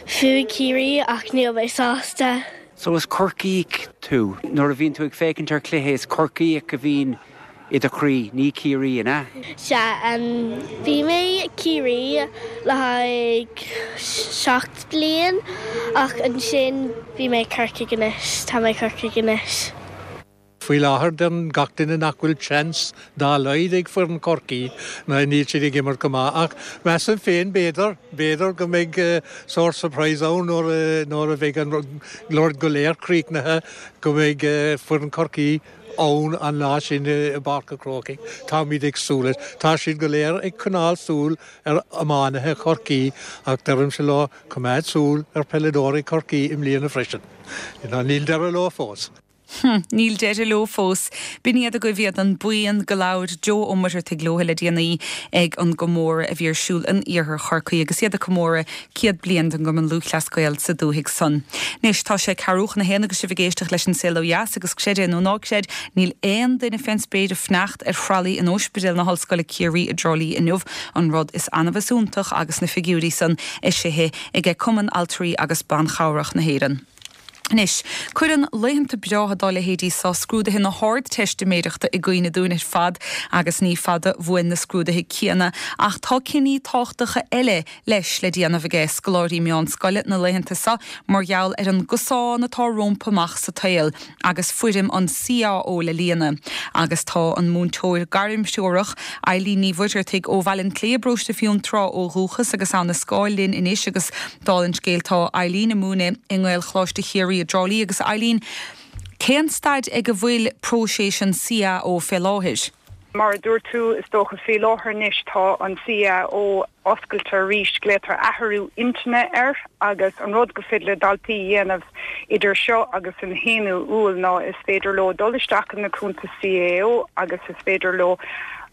bhuaigh Ciarraí ach níl mé sásta. So is Corcaíoch tú. Nuair a bhíonn tú ag féachaint ar chluiche is Corcaíoch a bhíonn i do chroí, ní Ciarraí, an ea? Sea, bhí mé Ciarraí le haghaidh seacht bliain ach ansin bhí mé Corcaigh anois, tá mé Corcaigh anois. Faoi láthair deireann gach duine nach bhfuil seans dá laghad ag foireann Chorcaí nó níl siad ag imirt go maith ach measaim féin b'fhéidir, b'fhéidir go mbeidh sórt surprise ann nuair a, nuair a bheidh an rud go léir críochnaithe go mbeidh foireann Chorcaí ann an lá sin i bPáirc an Chrócaigh. Táimid ag súil leis. Tá siad go léir ag coinneáil súil ar iománaithe Chorcaí ach deirimse leo coimeád súil ar pheileadóirí Chorcaí i mbliana freisin. Níl deireadh leo fós. Hm, níl deireadh leo fós. B'in iad agaibh iad an buíon go labhair Joe Ó Muircheartaigh leo le déanaí ag an gcomóradh a bhí ar siúl in iarthar Chorcaí agus iad ag comóradh céad bliain den gCumann Lúthchleas Gael sa dúthaigh san. Anois tá sé ceathrú chun a haon agus sibh ag éisteacht leis an Saol Ó Dheas agus creid é nó ná creid, níl aon duine fén spéir ag fanacht ar thralaí in Ospidéal na hOllscoile Ciarraí i dTrá Lí inniu, an rud is annamh is iontach agus na figiúirí san eisithe ag Cumann Altraí agus Ban Chabhrach na hÉireann. Anois, cuireann laethanta breátha dá leithéidí seo scrúduithe na hArdteistiméireachta i gcuimhne dúinn ar fad agus ní fada uainn na scrúduithe céanna ach tá cinní tábhachtacha eile leis le déanamh aige scoláirí meánscoile na laethanta seo mar gheall ar an gcosán atá rompu amach sa tsaol agus foirm an CAO le líonadh. Agus tá an múinteoir gairmthreorach, Eileen Ní Mhuircheartaigh ó Bhaile an tSléibhe i bparóiste Fionntrá ó dhúchas agus abhainn na Scáil linn anois agus dála an scéil tá Eileen ag múineadh i nGaelcholáiste Chiarraí i dTrá Lí agus Eileen, cén staid ag a bhfuil próiseas an CAO fé láthair? Mar a dúirt tú, is dócha faoi láthair anois tá an CAO oscailte arís, glaotar athrú intinne air agus an rud go féidir le daltaí a dhéanamh idir seo agus an haonú Iúil ná is féidir leo dul isteach ina cuntas CAO agus is féidir leo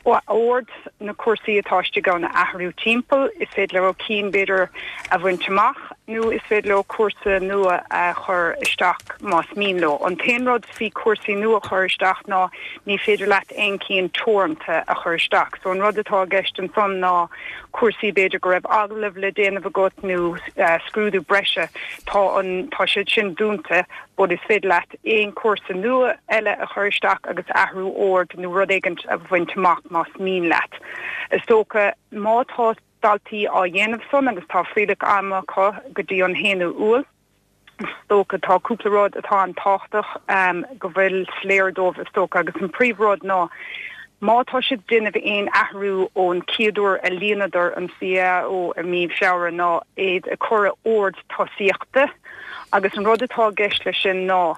ord na cúrsaí atá istigh ann a athrú timpeall, is féidir leo cinn b'fhéidir a bhaint amach nó is féidir leo cúrsa nua a chur isteach más mian leo. An t-aon rud faoi cúrsaí nua a chur isteach ná ní féidir leat aon cinn teoranta a chur isteach. So an rud atá i gceist ansan ná cúrsaí b'fhéidir go raibh agallamh le déanamh agat nó scrúdú breise, tá an tá siad sin dúnta but is féidir leat aon cúrsa nua eile a chur isteach agus athrú ord nó rud éigint a bhaint amach más mian leat. Is dócha má tá daltaí á dhéanamh san agus tá fuílleach ama acu go dtí an haonú Iúil, is dócha tá cúpla rud atá an-tábhachtach go bhfuil soiléir dóibh is dócha agus an príomhrud ná Má tá siad ag déanamh aon athrú ón chéad uair a líonadar an CAO i mí Feabhra ná iad a chur i ord tosaíochta agus an rud atá i gceist leis sin ná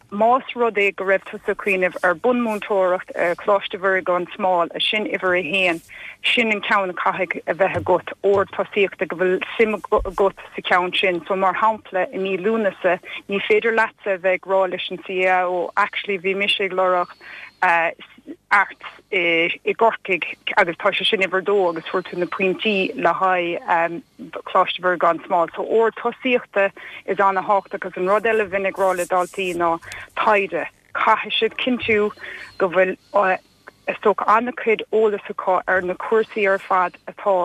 más rud é go raibh tusa ag cuimhneamh ar bunmhúinteoireacht ar Choláiste Mhuire gan Smál, sin uimhir a haon, sin an ceann a caithfidh a bheith agat, ord tosaíochta go bhfuil suim agat sa cheann sin. So mar shampla i mí Lúnasa ní féidir leatsa a bheith ag rá leis an CAO actually bhí mise ag lorg uh, arts i gCorcaigh agus tá sé sin uimhir dó agus fuair tú na pointí le haghaidh um, Coláiste Mhuire gan Smál. So ord tosaíochta is an-tábhachtach agus an rud eile a bhím ag rá le daltaí ná taighde. Caithfidh siad cinntiú go bhfuil uh, is dócha an-chuid eolas acu ar na cúrsaí ar fad atá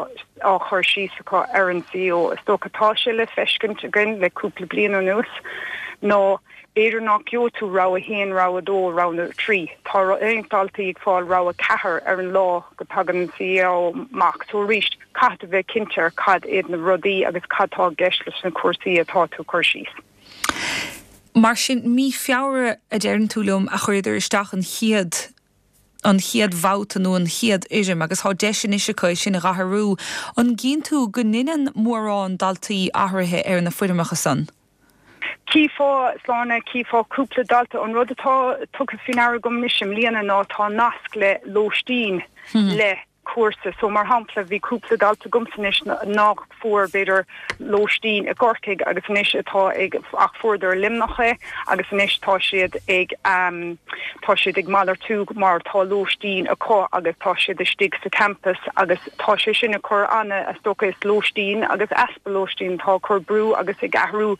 á chur síos acu ar an CAO. Is dócha tá sé le feiscint againn le cúpla bliain anuas nó b'fhéidir nach gheobhaidh tú rogha haon rogha dó rogha trí. Tá roinnt daltaí ag fáil rogha ceathair ar an lá go dtagann an CAO amach. So arís caithfidh tú bheith cinnte ar cad iad na rudaí agus cad tá i gceist leis na cúrsaí atá tú cur síos. Mar sin mí Feabhra a deireann tú liom a chuireadar isteach an chéad an chéad bhabhta nó an chéad fhoirm agus tá deis anois acu sin a athrú. An gcíonn tú go ndéanann mórán daltaí athruithe ar na foirmeacha san? Chífeá Sláine chífeá cúpla dalta an rud atá tugtha faoi ndeara agam anois i mbliana ná tá nasc le lóistín hmm. le cúrsa so mar shampla bhí cúpla dalta agamsa anois nach fuair b'fhéidir lóistín i gCorcaigh agus anois atá ag ach fuaireadar Luimneach é agus anois tá siad ag um, tá siad ag malartú mar tá lóistín acu agus tá siad istigh sa campus agus tá sé sin ag cur ana is dócha is lóistín agus easpa lóistín tá cur brú agus ag athrú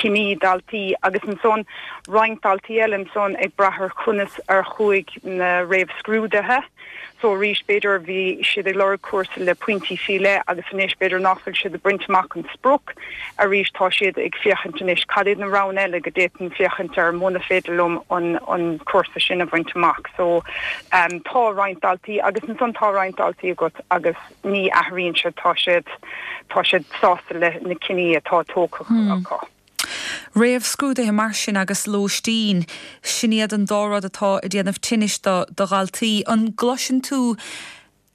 cinní daltaí agus ansan roinnt daltaí eile ansan ag brath ar conas ar chuaigh na réamhscrúduithe. So arís b'fhéidir bhí siad ag lorg cúrsa le pointí faoi leith agus anois b'fhéidir nach bhfuil siad ag baint amach an sprioc arís tá siad ag féachaint anois cad iad na roghanna eile go d'fhéadfainn féachaint ar muna féidir liom an an cúrsa sin a bhaint amach. So um, tá roinnt daltaí agus ansan tá roinnt daltaí agat agus ní athraíonn siad tá siad tá siad sásta le na cinní atá tógtha hmm. acu. Réamhscrúduithe mar sin agus lóistín, sin iad an dá rud atá ag déanamh tinnis do do dhaltaí. An gcloiseann tú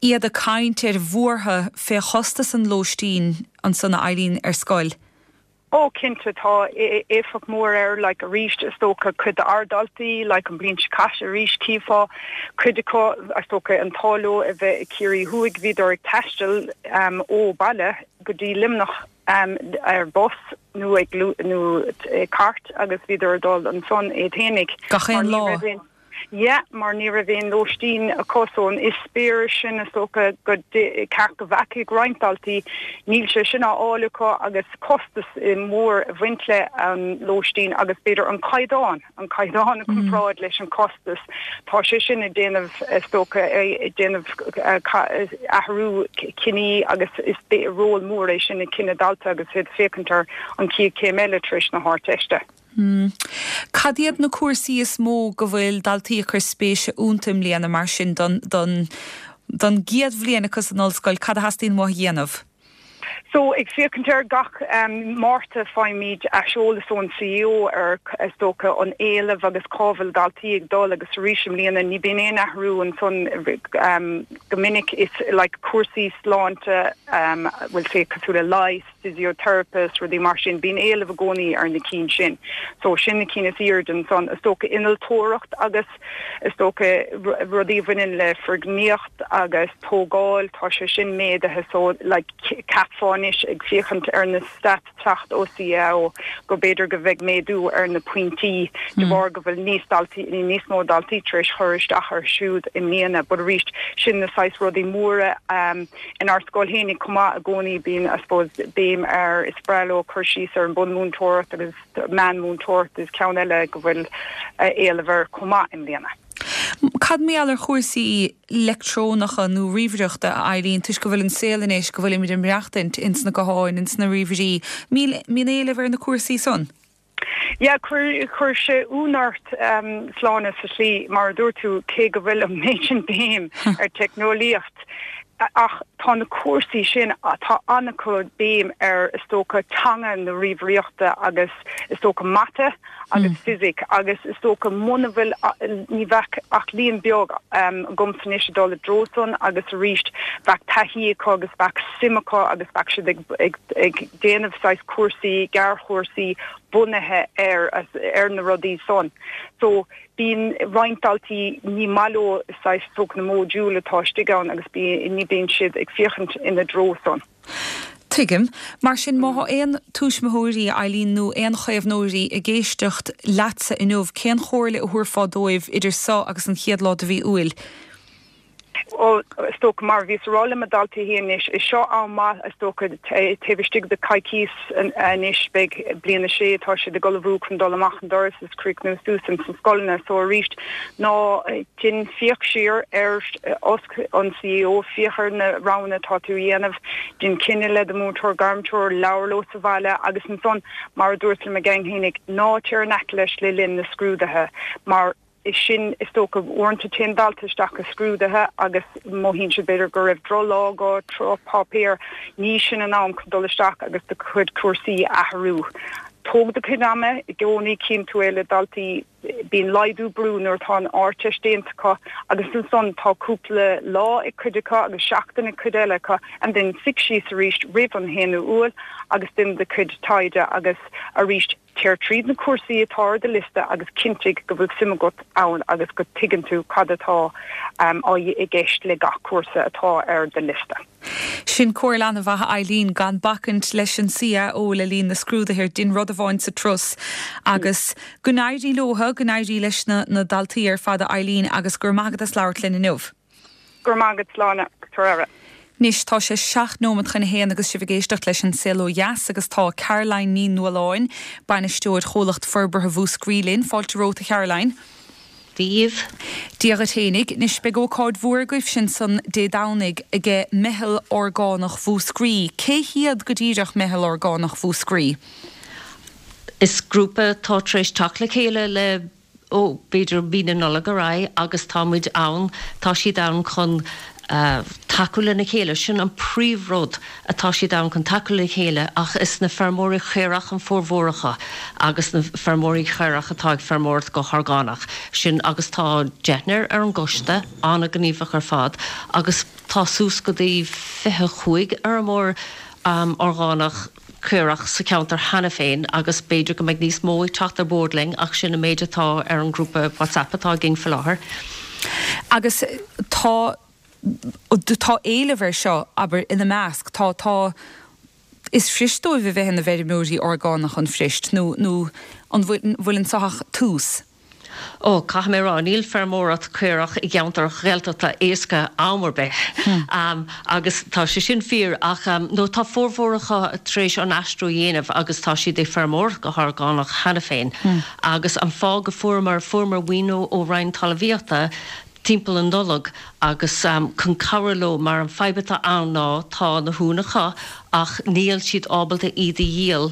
iad ag caint ar bhuartha fé chostas an lóistín ansan a Eileen ar scoil? Ó cinnte tá éifeacht mór air like arís is dócha cuid d'ár ndaltaí like an bliain seo caite arís chífeá cuid acu is dócha an t-ádh leo a bheith i Ciarraí Thuaidh bhíodar ag taisteal um, ó baile go dtí Luimneach um, ar bus nó ag nó cairt agus bhíodar dul ansan é féinig. Gach aon lá. Yeah, mar ní raibh aon lóistín acu so an eispéireas sin is dócha go ceart go bhfeicfeadh roinnt daltaí níl sé sin á fháil acu agus costas mór a bhaint le an lóistín agus b'fhéidir an caighdeán an caighdeán a comparáid leis an costas tá sé sin ag déanamh is dócha ag déanamh athrú cinní agus is ról mór é sin i gcinneadh dalta agus iad féachaint ar an chéad chéim eile tar éis na hArdteiste. Hmm. Cad iad na cúrsaí is mó go bhfuil daltaí ag cur spéise iontu i mbliana mar sin don don don gcéad bhliain acu san ollscoil, cad a theastaíonn uathu a dhéanamh? So ag féachaint ar gach um, Márta faighimid aiseolas ón CAO ar is dócha an éileamh agus cá bhfuil daltaí ag dul agus arís i mbliana ní bhíonn aon athrú ansan um, go minic is like cúrsaí sláinte um, bhfuil sé cosúil le leighis physiotherapist rudaí mar sin bíonn éileamh i gcónaí ar na cinn sin. So sin na cinn is airde ansan is dócha innealtóireacht agus is dócha rudaí a bhaineann le foirgníocht agus tógáil tá sé sin méadaithe so like cheapfá anois ag féachaint ar na stats teacht ó CAO go b'fhéidir go bheidh méadú ar na pointí de hmm. bharr go bhfuil níos daltaí níos mó daltaí tar éis chur isteach ar siúd i mbliana, but arís sin na saghas rudaí móra um, inár scoil fhéinig chomh maith i gcónaí bíonn I suppose béim ar is breá leo cur síos ar an bunmhúinteoireacht agus meánmhúinteoireacht is ceann eile go bhfuil eh, éileamh air chomh maith i mbliana. Cad mar gheall ar chúrsaí leictreonacha nó ríomhaireachta a Eileen toisc go bhfuil an saol anois go bhfuilimid ag maireachtaint ins na gutháin ins na ríomhairí mbíonn éileamh ar na cúrsaí san? Ja chuir chuir sé ionadh ort um, Sláine sa slí mar a dúirt tú cé go bhfuil an méid sin béim ar teicneolaíocht. Ach tá na cúrsaí sin, tá an-chuid béim ar is dócha teanga na ríomhaireachta agus is dócha mata agus fisic agus is dócha muna bhfuil ní bheadh ach líon beag agamsa anois ag dul i dtreo san agus arís bheadh taithí acu agus bheadh suim acu agus bheadh siad ag ag ag déanamh saghas cúrsaí gearrchúrsaí bunaithe ar ar na rudaí san. So bíonn roinnt daltaí ní maith leo saghas is dócha na módúil atá istigh ann agus bí ní bíonn siad ag féachaint ina dtreo san. Tuigim. Mar sin má thá aon tuismitheoirí, Eileen, nó aon chaomhnóirí ag éisteacht leatsa inniu, cén chomhairle a thabharfá dóibh idir seo agus an chéad lá de mhí Iúil? Ó, is dócha, mar a bhíos a rá le mo dhaltaí féin anois, is seo am maith, is dócha, taobh istigh de coicís anois, beidh bliain a sé, tá siad ag ullmhú chun dul amach an doras is críochnú suas ins na scoileanna, so arís, ná déan, féach siar ar, oscail an CAO, féach ar na roghanna atá tú a dhéanamh, déan cinneadh le do mhúinteoir gairmthreoir, labhair leo sa bhaile agus ansan, mar a dúirt le mo gang fhéinig, ná téir in aice leis le linn na scrúduithe mar, sin, is dócha, uaireanta téann dalta isteach i scrúduithe agus mothaíonn siad b'fhéidir go raibh drochlá acu, drochpháipéar, ní sin an am chun dul isteach agus do chuid cúrsaí a athrú. Tóg do chuid ama i gcónaí, cíonn tú é le daltaí, bíonn laghdú brú nuair atá an Ardteist déanta acu agus ansan tá cúpla lá ag cuid acu agus seachtain ag cuid eile acu and then suigh síos arís roimh an haonú Iúil agus déan do chuid taighde agus arís Téir tríd na cúrsaí atá ar do liosta agus cinntigh go bhfuil suim agat ann agus go dtuigeann tú cad atá i gceist le gach cúrsa atá ar do liosta. Sin comhairle an-mhaith, a Eileen, gan bacaint leis an CAO le linn na scrúduithe, déan rud amháin sa turas agus go n-éirí leo, go n-éirí leis na daltaí ar fad, a Eileen, agus go raibh maith agat as labhairt linn inniu. Go raibh maith agat, Sláine, Tabhair aire. Anois tá sé seacht nóiméad chun a haon agus sibh ag éisteacht leis An Saol Ó Dheas agus tá Caroline Ní Nualláin, Bainisteoir Chomhlacht Forbartha Mhúscraí linn. Fáilte romhat a Charoline. Dia dhaoibh. Dia dhuit fhéinig. Anois beidh ócáid mhór agaibhse ansan Dé Domhnaigh aige Meitheal Orgánach Mhúscraí. Cé hiad go díreach Meitheal Orgánach Mhúscraí? Is grúpa atá tar éis teacht le chéile le ó b'fhéidir mí na Nollag ar aghaidh agus tá muid ann, tá siad ann chun tacú lena chéile, sin an príomhrud atá siad ann chun tacú le chéile ach is na feirmeoirí caorach an formhór acu agus na feirmeoirí caorach atá ag feirmeoireacht go horgánach, sin agus tá deichniúr ar an gcoiste, an-ghníomhach ar fad agus tá suas go dtí fiche cúig fheirmeoir orgánach. caorach sa cheantar cheana féin agus b'fhéidir go mbeidh níos mó ag teacht ar bord linn ach sin an méid atá ar an ngrúpa WhatsApp atá againn faoi láthair. Agus tá tá éileamh air seo, abair, ina measc, tá tá is fuirist dóibh a bheith ina bhfeirmeoirí orgánach an fuirist nó nó an bhfuil bhfuil anso ach tús? Ó, caithfidh mé a rá, níl feirmeoireacht caorach i gceantar Ghaeltachta éasca am ar bith. Agus tá sé sin fíor ach nó tá formhór acu tar éis an aistriú a dhéanamh agus tá siad ag feirmeoireacht go horgánach cheana féin. Agus an fáth go fuaireamar, fuaireamar maoiniú ó Roinn Talmhaíochta timpeall an Nollag agus chun cabhrú leo mar an fadhb atá ann ná tá na huain acu ach níl siad ábalta iad a dhíol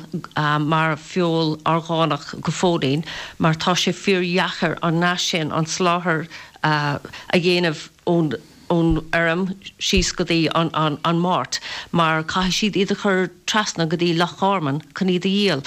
mar feoil orgánach go fóillín mar tá sé fíor dheacair an nasc sin, an soláthar a dhéanamh ón ón fheirm síos go dtí an an mart mar caithfidh siad iad a chur trasna go dtí Loch Garman chun iad a dhíol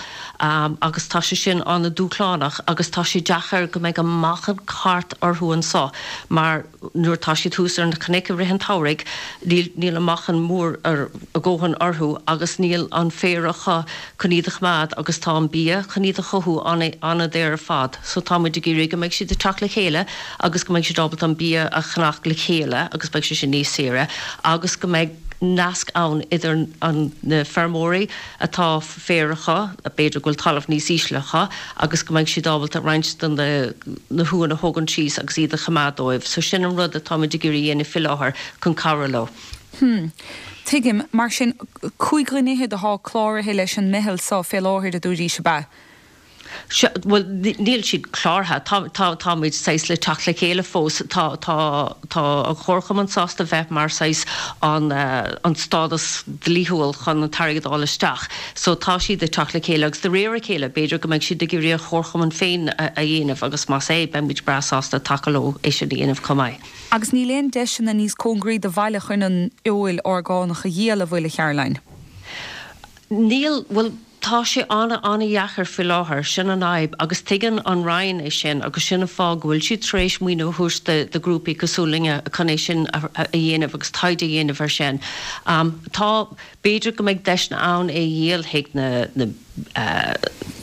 agus tá sé sin an-dúshlánach agus tá sé deacair go mbeidh an meáchan ceart orthu anso mar nuair atá siad thuas ar na cnoic i rith an tsamhraidh níl níl an meáchan mór a dhóthain orthu agus níl an féar acu chun iad a choimeád agus tá an bia chun iad a chothú an-daor ar fad so tá muid ag iarraidh go mbeidh siad ag teacht le chéile agus go mbeidh siad ábalta an bia a cheannach le chéile agus beidh sé sin níos saoire agus go mbeidh nasc ann idir an na feirmeoirí atá féar acu, b'fhéidir go bhfuil talamh níos ísle acu agus go mbeidh siad ábalta roinnt de na na huain a thógaint síos agus iad a choimeád dóibh. So sin an rud atá muid ag iarraidh a dhéanamh faoi láthair chun cabhrú leo. Hmm. Tuigim. Mar sin, cúig dhuine fhichead atá cláraithe leis an meitheal seo fé láthair, a dúraís, ab ea? Sea, bhuel, níl siad cláraithe. Tá, tá, táimid saghas le teacht le chéile fós. Tá, tá, tá an Chomharchumann sásta bheith mar saghas an, an stádas dlíthiúil chun an t-airgead a fháil isteach. So tá siad ag teacht le chéile agus de réir a chéile b'fhéidir go mbeidh siad ag iarraidh an Chomharchumann féin a, a dhéanamh agus más é, beidh muid breá sásta tacú leo é sin a dhéanamh chomh maith. Agus níl aon deiseanna níos cóngaraí do bhaile chun an fheoil orgánach a dhíol, an bhfuil, a Charoline? Níl, bhuel, tá sé an-an-dheacair faoi láthair, sin an fhadhb agus tuigeann an Roinn é sin agus sin an fáth go bhfuil siad tar éis maoiniú a thabhairt do do ghrúpaí cosúil linne chun é sin a dhéanamh agus taighde a dhéanamh air sin. Tá, b'fhéidir go mbeidh deiseanna ann é a dhíol chuig na na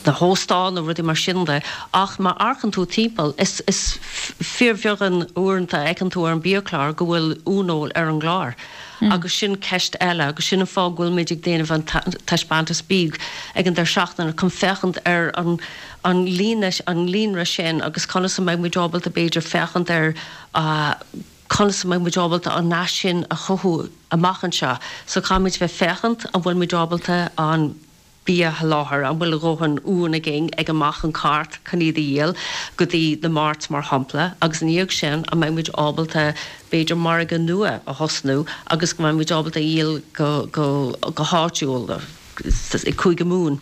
na hóstáin nó rudaí mar sin de ach má amharcann tú timpeall is is fíorbheagán uaireanta a fheiceann tú ar an biachlár go bhfuil uaineoil ar an gclár. Agus sin ceist eile agus sin an fáth go bhfuil muid ag déanamh an taispeántas bídh ag an deireadh seachtaine chun féachaint ar an an líne an líonra sin agus conas a mbeidh muid ábalta b'fhéidir féachaint ar conas a mbeidh muid ábalta an naisc sin a chothú amach anseo. So caithfidh muid bheith féachaint an bhfuil muid ábalta an bia a sholáthar, an bhfuil a dhóthain uan againn ag amach an cairt chun iad a dhíol go dtí na marts mar shampla agus ina dhiaidh sin an mbeidh muid ábalta b'fhéidir margadh nua a thosnú agus go mbeidh muid ábalta a dhíol go go go háitiúil i Cúige Mumhan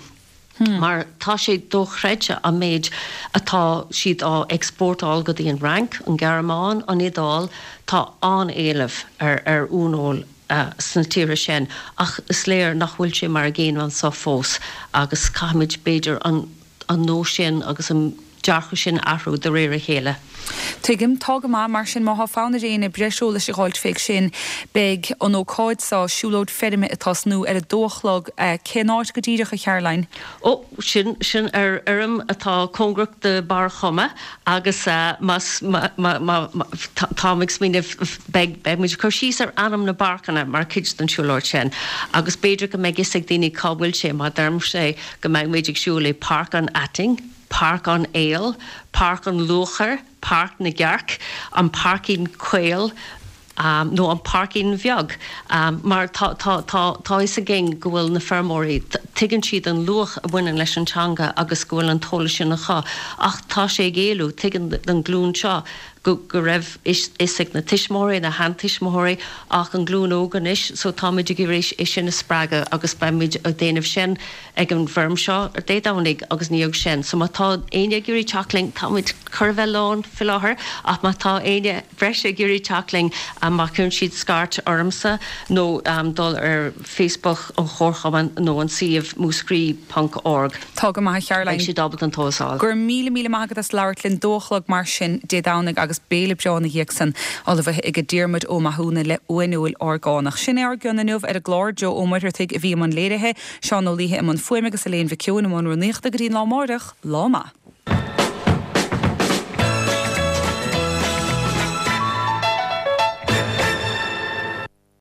mar tá sé dochreidte an méid atá siad á exportáil go dtí an Fhrainc, an Ghearmáin, an Iodáil, tá an-éileamh ar ar uaineoil. sna tíortha sin ach is léir nach bhfuil sé mar an gcéanna anseo fós agus caithfimid b'fhéidir an an nós sin agus an dearcadh sin a athrú de réir a chéile. Tuigim. Tá go maith. Mar sin, má thá fonn ar éinne breis eolais a dh'fháilt féig sin, beidh an ócáid so, siúlóid feirme ag tosnú ar a dó a chlog. Cén áit go díreach, a Charoline? Ó, sin, sin ar fheirm atá cóngarach do Barr Choma agus más, má, má, má, táim ag smaoineamh, beidh, beidh muid ag cur síos ar ainm na bpáirceanna mar chuid den siúlóid sin agus b'fhéidir go mbeidh fhios ag daoine cá bhfuil sé má deirimse go mbeidh muid ag siúl i Páirc an Aitinn, Páirc an Aoil, Páirc an Luachair, Páirc na gCearc, an Páircín Caol, nó an Páircín Bheag, mar tá, tá, tá, tá fhios againn go bhfuil na feirmeoirí, tuigeann siad an luach a bhaineann leis an teanga agus go bhfuil an t-eolas sin acu ach tá sé ag éalú, tuigeann an glúin seo go, go raibh fhios ag na tuismitheoirí, na sheantuismitheoirí ach an glúin óg anois so táimid ag iarraidh é sin a spreagadh agus beimid ag déanamh sin ag an bhfeirm seo ar Dé Domhnaigh agus ina dhiaidh sin. So má tá éinne ag iarraidh teacht linn, táimid chóir a bheith lán faoi láthair ach má tá éinne breise ag iarraidh teacht linn, má chuireann siad scairt ormsa nó dul ar Facebook an Chomharchumainn nó an suíomh múscraí ponc org. Tá go maith a Charoline. Beidh siad ábalta an t-eolas a fháil. Go raibh míle míle maith agat as labhairt linn. Dó a chlog mar sin Dé Domhnaigh agus béile breá ina dhiaidh san, ullmhaithe ag Diarmuid Ó Mathúna le uaineoil orgánach. Sin é ár gcion inniu ar an gclár. Joe Ó Muircheartaigh a bhí i mbun léirithe, Seán Ó Laoithe i mbun fuaime agus Elaine Mhic Eoin i mbun rúnaíochta go dtí an lá amáireach. Lá maith.